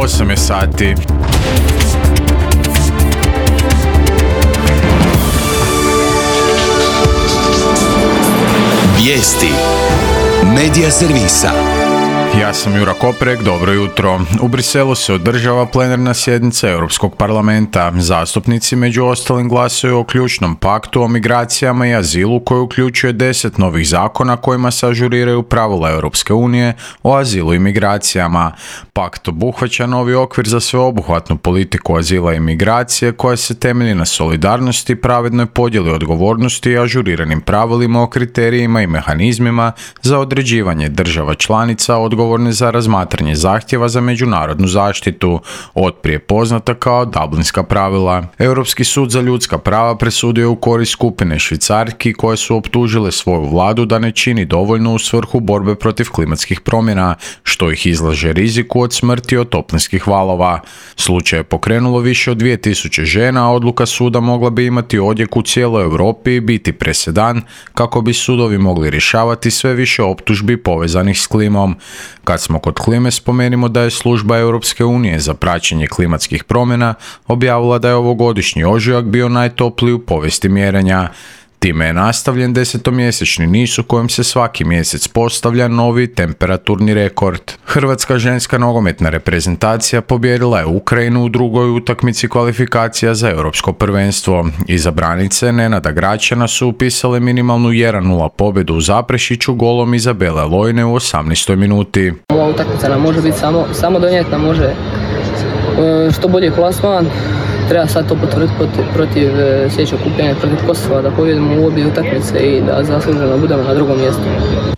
8 je sati. Vijesti Medija servisa. Ja sam Jura Koprek, dobro jutro. U Briselu se održava plenarna sjednica Europskog parlamenta. Zastupnici među ostalim glasuju o ključnom paktu o migracijama i azilu koji uključuje 10 novih zakona kojima se ažuriraju pravila Europske unije o azilu i migracijama. Pakt obuhvaća novi okvir za sveobuhvatnu politiku azila i migracije koja se temelji na solidarnosti, pravednoj podjeli odgovornosti i ažuriranim pravilima o kriterijima i mehanizmima za određivanje država članica odgovorne za razmatranje zahtjeva za međunarodnu zaštitu, otprije poznata kao Dublinska pravila. Europski sud za ljudska prava presudio u korist skupine Švicarki koje su optužile svoju vladu da ne čini dovoljno u svrhu borbe protiv klimatskih promjena, što ih izlaže riziku od smrti od toplinskih valova. Slučaj je pokrenulo više od 2000 žena, a odluka suda mogla bi imati odjek u cijeloj Europi i biti presedan kako bi sudovi mogli rješavati sve više optužbi povezanih s klimom. Kad smo kod klime, spomenimo da je služba Europske unije za praćenje klimatskih promjena objavila da je ovogodišnji ožujak bio najtopliji u povijesti mjerenja. Time je nastavljen 10-mjesečni niz u kojem se svaki mjesec postavlja novi temperaturni rekord. Hrvatska ženska nogometna reprezentacija pobijedila je Ukrajinu u drugoj utakmici kvalifikacija za europsko prvenstvo. Izabranice Nenada Gračana su upisale minimalnu 1-0 pobjedu u Zaprešiću golom Izabele Lojne u 18. minuti. Ova utakmica nam može biti samo donijeti, nam može što bolji plasman. Treba sad to potvrditi protiv sljedećeg okupljanja protiv Kosova, da pobjedimo u obje utakmice i da zasluženo budemo na drugom mjestu.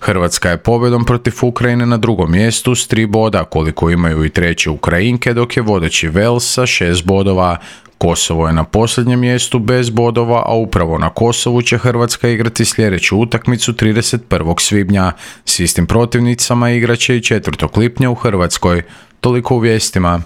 Hrvatska je pobjedom protiv Ukrajine na drugom mjestu s 3 boda, koliko imaju i treće Ukrajinke, dok je vodeći Wales sa 6 bodova. Kosovo je na posljednjem mjestu bez bodova, a upravo na Kosovu će Hrvatska igrati sljedeću utakmicu 31. svibnja. S istim protivnicama igraće i 4. lipnja u Hrvatskoj. Toliko u vijestima.